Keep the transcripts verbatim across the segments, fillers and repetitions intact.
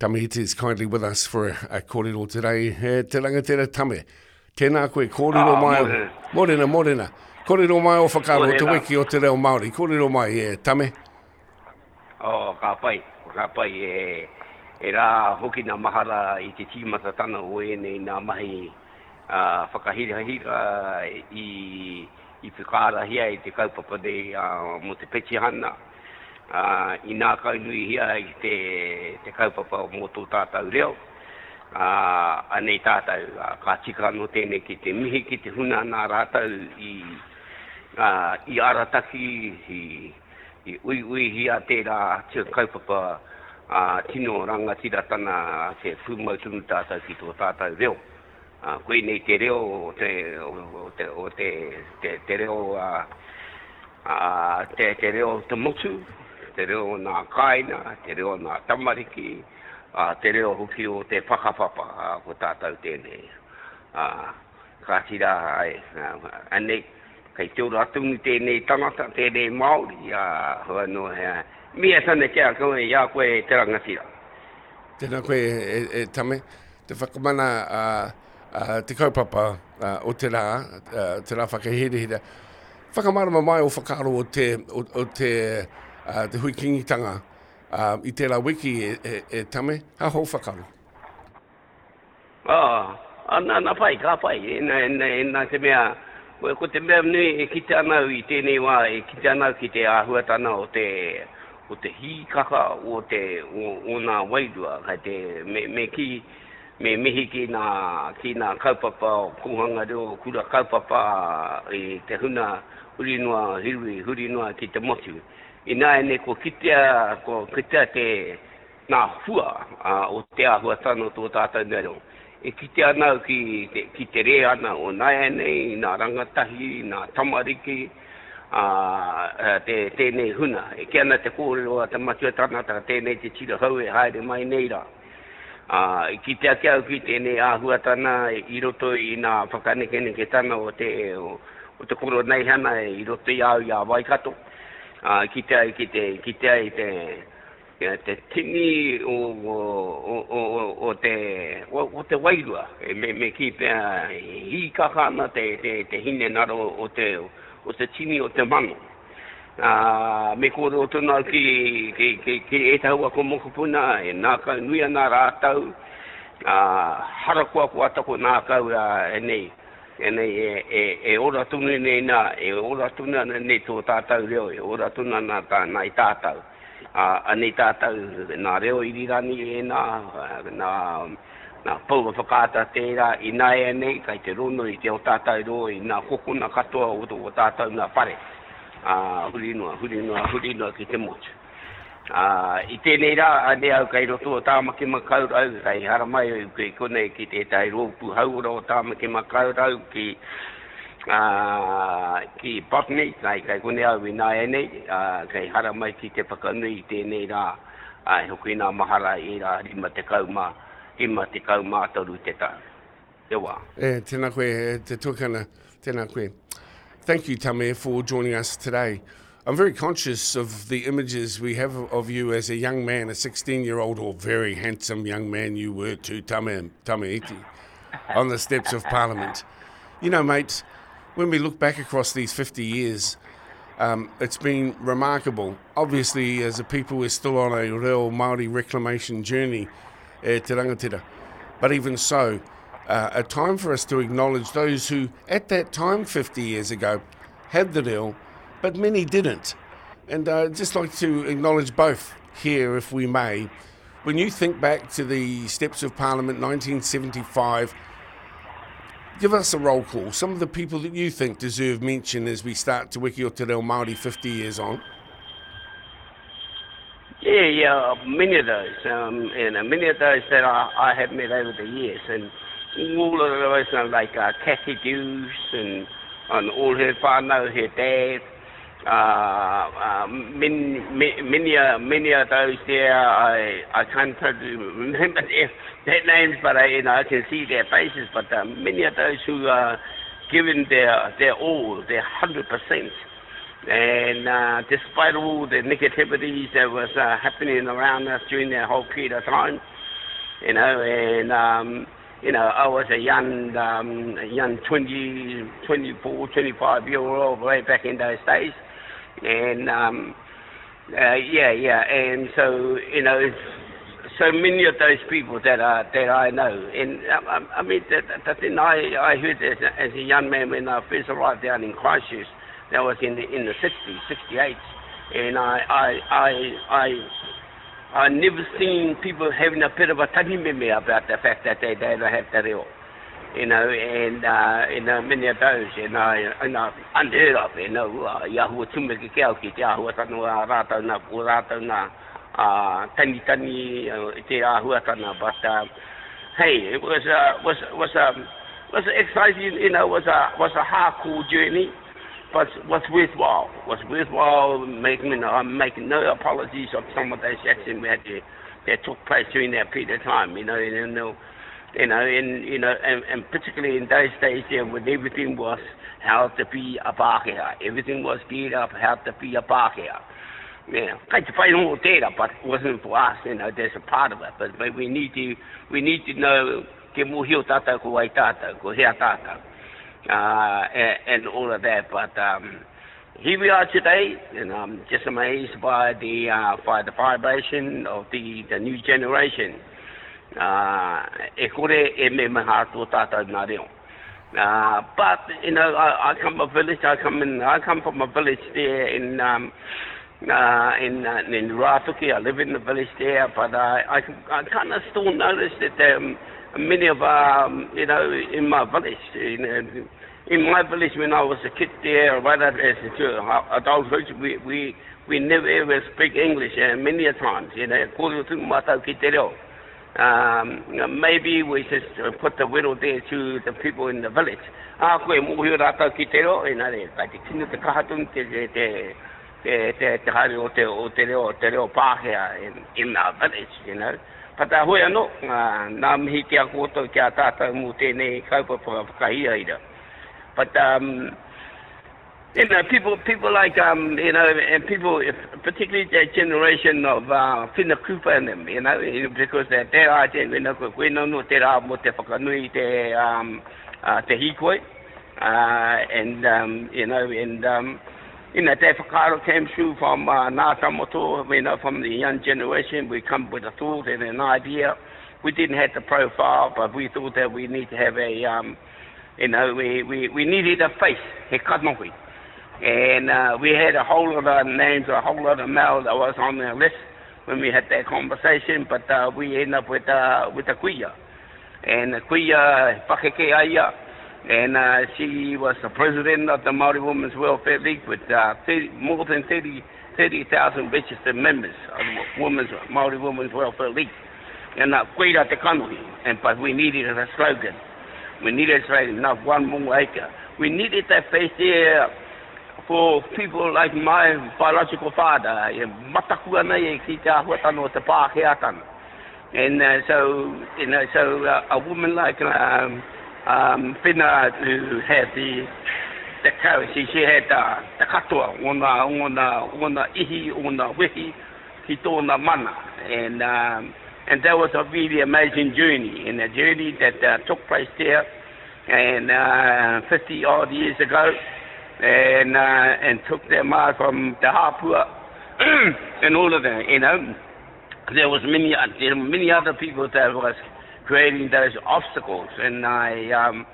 Tame Iti is kindly with us for a, a kōrero today. E, te rangatira Tame, tēnā koe, kōrero ah, mai. Morena. Morena, morena. Kōrero mai o whakaaro te wiki o te reo Māori. Kōrero mai, e, Tame. Oh, ka pai, ka pai e, e rā hoki nā mahara i te tīmatatana o ēnei nā mahi uh, whakahirahira i, i whakaarahia i te kaupapa nei uh, mō te petihana. Uh, i nākaunuihia i te, te kaupapa mō tō tātou reo. Uh, anei tātou, uh, ka tika anō tēnei ki te mihi ki te huna nā rātou i, uh, i arataki, i, i uiuihia tērā te kaupapa uh, tino rangatiratana te pūmau tonu tātou ki tō tātou reo. Uh, koinei te reo o te, o te, o te, te, te reo uh, uh, te, te reo te motu, te reo nā kāina, te reo nā tamariki, uh, te reo hoki o te whakapapa uh, ko tātou tēnei. Uh, ka tira ai, uh, anei, kei te ora tonu tēnei tangata, tēnei Māori, uh, hua no, uh, mia tana kia koe, i a koe te rangatira. Tēnā koe e, e, Tame, te whakamana uh, uh, te kaupapa uh, o te rā, uh, te rā whakahirahira. Whakamārama mai o whakaaro o te, o, o te, uh, te hui kingitanga uh, i tērā wiki e, e, e Tame, ha hou whakaaro? Ah, ah, nā, nā pai, ka pai. E, nā, nā, nā te mea, ko, ko te mea nui e kite ana au i tēnei wā, e kite ana au ki te āhuatana o te, o te hīkaka o te, o, o nā wairua. Kai te, me, me ki, me mihi ki nā, ki nā kaupapa o kōhanga reo, kura kaupapa i te huna huri noa, huri, huri noa ki te motu. Ināianei ko kitea, ko kitea te nā hua uh, o te āhuatana o tō tātou reo. E kite ana au ki te, ki te reanga o nāianei, nā rangatahi, nā tamariki, uh, te, tēnei huna. E kī ana te kōrero a te matua tangata tēnei te tira hau e haere mai nei rā. Uh, i kite ake au ki tēnei āhuatana i roto i nā whakanekeneketana o te, o, o te koroneihana i roto i au i a Waikato. Uh, kite ai ki te, kite ai te, ia, te tini o, o, o, o, o, te, o, o te wairua. E me, me ki pea hīkaka ana te, te, te hinengaro o te, o te tini o te mano. Uh, me kōrero tonu au ki, ki, ki, ki ētahi o aku mokopuna e ngākau nui ana rātou. Uh, harakoakoa taku ngākau uh, e nei, e nei e, e, e ora tonu nei nā, e ora tonu ana nei tō tātou reo, e ora tonu ana tā, nā i tātou. Uh, anei tātou nā reo irirangi e nā, nā, nā pouaka whakaata tērā i nāianei, kai te rono i te o tātou reo i nā kokona katoa o, o tātou nā whare. Uh, huri noa, huri noa, huri noa ki te motu. Uh, i tēnei rā, anei au kei roto o Tāmaki Makaurau, kei haramai au ki konei ki tētahi rōpū hauora o Tāmaki Makaurau ki, uh, ki Botany, kai, kai konei au i nāianei, uh, kei haramai ki te whakanui i tēnei rā, uh, hoki nā mahara i rā rima tekau mā, rima tekau mā toru te tau. Te wā. E, tēnā koe, e, te tuakana, tēnā koe. Thank you, Tame, for joining us today. I'm very conscious of the images we have of you as a young man, a sixteen-year-old or very handsome young man you were too, Tame, Tame Iti, on the steps of Parliament. You know, mate, when we look back across these fifty years, um, it's been remarkable. Obviously, as a people, we're still on a real Māori reclamation journey, eh, te rangatira. But even so, uh, a time for us to acknowledge those who, at that time fifty years ago, had the reo, but many didn't. And uh, I'd just like to acknowledge both here, if we may. When you think back to the steps of Parliament, nineteen seventy-five, give us a roll call. Some of the people that you think deserve mention as we start Te Wiki o Te Reo Māori fifty years on. Yeah, yeah, many of those, um, and uh, many of those that I, I have met over the years, and all of those are like, uh, Kathy Dewes and, and all her whānau, her dad, uh, uh, many, many, uh, many of those there, I, I can't totally remember their, their names, but I, you know, I can see their faces. But, uh, many of those who are given their, their all, their hundred percent. And, uh, despite all the negativities that was, uh, happening around us during that whole period of time, You know, and, um, you know, I was a young, um, young twenty, twenty-four, twenty-five year old way back in those days. And, um, uh, yeah, yeah, and so, you know, so many of those people that I, that I know. And, I, I mean, the, the thing I, I heard as a, as a young man when I first arrived down in Christchurch, that was in the, in the sixties, sixty-eight, and I, I, I, I, I never seen people having a bit of a tangimeme about the fact that they, they don't have te reo, you know, and, uh, you know, many of those, and I, and I unheard of, you know, i ahua tumeke ke au ki te āhuatanga o rātou nā, o rātou nā, uh, tani tani te āhuatanga, but, uh, hey, it was, uh, was, was, um, was exciting, you know, was a, was a hardcore journey, but was worthwhile, was worthwhile making, you know, I'm making no apologies of some of those actions we had to, that took place during that period of time, you know, and, you know, you know, and, you know, and, and particularly in those days there when everything was how to be a Pākehā, everything was geared up how to be a Pākehā. Yeah, kai te whai rongo tērā, but it wasn't for us, you know, there's a part of it, but, but we need to, we need to know ke mōhio tātou ko wai tātou, ko hea tātou, uh, and, and all of that, but um, here we are today, and I'm just amazed by the, uh, by the vibration of the, the new generation. Uh, e kore e me maha tō tātou nā reo. Uh, but, you know, I, I come from a village, I come in, I come from a village there in, um, uh, in, uh, in Rātuki. I live in the village there, but I, I, I kind of still notice that um, many of, um, you know, in my village, you know, in my village when I was a kid there, right up as a adulthood, we, we, we never ever speak English, and many a times, you know, kōrero tunu mātou ki te reo. Um, maybe we just put the wero there to the people in the village. Ah, koe mōhio rātou ki te reo, you know, kai te tino te kaha tonu te, te, te, te, te, te haere o te, o te reo, te reo Pākehā in, in our village, you know. But uh, hoi anō, uh, nā mihi ki a koutou ki a tātou mō tēnei kaupapa whakahirahira. But, um, you know, people, people like, um, you know, and people, if, particularly that generation of uh, Whina Cooper and them, you know, because that their idea, you know, koe no no te rā mō te whakanui te, um, uh, te hīkoi, uh, and, um, you know, and, um, you know, te whakaaro came through from uh, Ngā Tamoto, you know, from the young generation. We come with a thought and an idea. We didn't have the profile, but we thought that we need to have a, um, you know, we, we, we needed a face, he kanohi. And uh, we had a whole lot of names, a whole lot of mail that was on the list when we had that conversation, but uh, we ended up with, uh, with the kuia. And the kuia, pakeke aia, and uh, she was the president of the Māori Women's Welfare League with uh, thirty, more than thirty thousand registered members of the Women's, Māori Women's Welfare League. And uh, koira te kanohi, and, but we needed a slogan. We needed a slogan, not one more acre. We needed that face there for people like my biological father, e mataku ana e ki te āhuatanga o te Pākehātanga. And uh, so, you know, so uh, a woman like um, um, Whina, who had the, the courage, she, she had uh, te katoa, ona, ona, ona ihi, ona wehi, ki tōna mana. And, um, and that was a really amazing journey, and a journey that uh, took place there and uh, fifty odd years ago, and, uh, and took them out from Te Hapua and all of that, you know. There was many, there were many other people that was creating those obstacles, and I, um,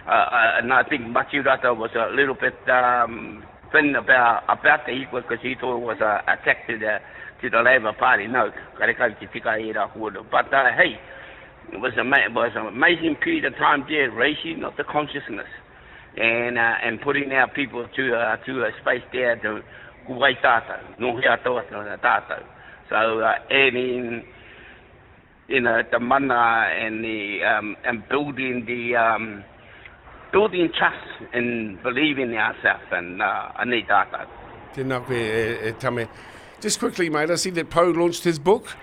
uh, uh, and I think Matiu Rata was a little bit um, thin about, about the equal, because he thought it was an attack to the, to the Labour Party. No, karekau te tika e rā kōrero. But uh, hey, it was, ama-, it was an amazing period of time there, raising of the consciousness, and, uh, and putting our people to, uh, to a space there to kuwai tātou, no hea tō tātou. So, uh, adding, you know, the mana and the, um, and building the, um, building trust and believing in ourselves and, uh, anei tātou. Tēnā koe, e, e Tame. Just quickly, mate, I see that Poe launched his book,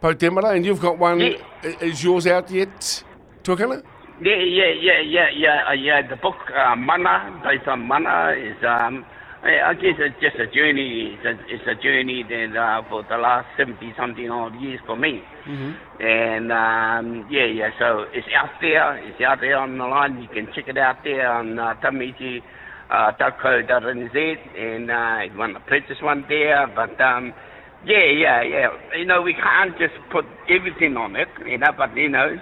Poe Temara, and you've got one. Yeah. Is yours out yet, Tuakana? Yeah, yeah, yeah, yeah, yeah, uh, yeah. The book, uh, Mana, based on Mana, is, um, I guess it's just a journey. It's a, it's a journey that uh, for the last seventy something odd years for me. Mm-hmm. And um, yeah, yeah. So it's out there. It's out there on the line. You can check it out there on uh, tamaiti dot co dot n z, and uh, if you want to purchase one there. But um, yeah, yeah, yeah. You know, we can't just put everything on it, you know. But you know,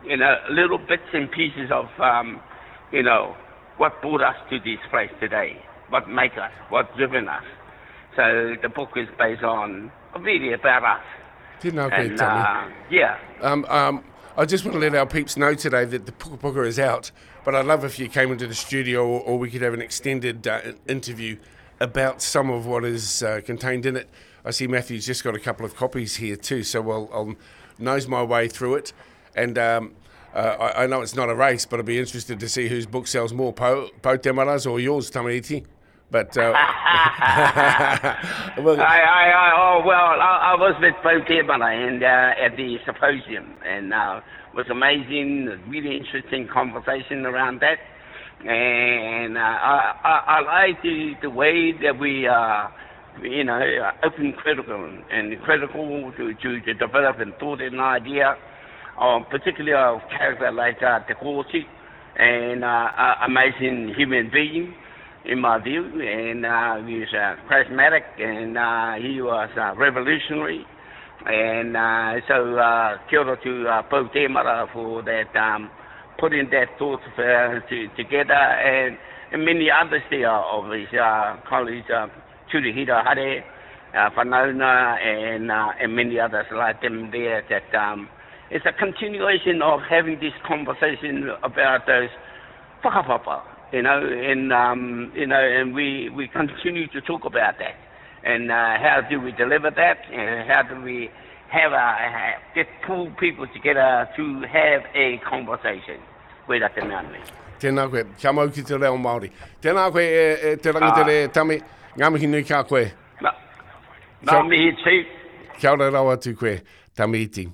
you know, little bits and pieces of um, you know, what brought us to this place today, what make us, what driven us. So the book is based on really about us. Tēnā koe, And, Tame. uh, yeah. Um, um, I just want to let our peeps know today that the Pukapuka is out, but I'd love if you came into the studio, or, or we could have an extended uh, interview about some of what is uh, contained in it. I see Matthew's just got a couple of copies here too, so I'll, I'll nose my way through it. And um, uh, I, I know it's not a race, but I'd be interested to see whose book sells more, Po, Po Temara's or yours, Tamaiti. But, uh, well, I, I, I, oh, well, I, I was with Pou Temara and, uh, at the symposium, and uh, it was amazing, really interesting conversation around that. And, uh, I, I, I like the, the way that we are, you know, open critical and critical to, to, to develop and thought an idea, um, particularly of character like uh, Te Kooti, and uh, uh, amazing human being, in my view, and uh, he was uh, charismatic, and uh, he was uh, revolutionary, and uh, so uh, kia ora to uh, Pou Temara for that, um, putting that thought uh, to, together, and, and many others there of his uh, colleagues, uh, Turihira Hare, uh, Whanauna, and, uh, and many others like them there, that um, it's a continuation of having this conversation about those whakapapa, you know, and um, you know, and we, we continue to talk about that, and uh, how do we deliver that, and how do we have a, get pull people together to have a conversation with te mea nei. Tēnā koe, kia mau ki te reo Māori. Tēnā koe e, e te rangitere, ah. Tame, ngā mihi nui kia koe. Nā, ngā mihi tū. Kia ora rawa atu koe, Tame Iti.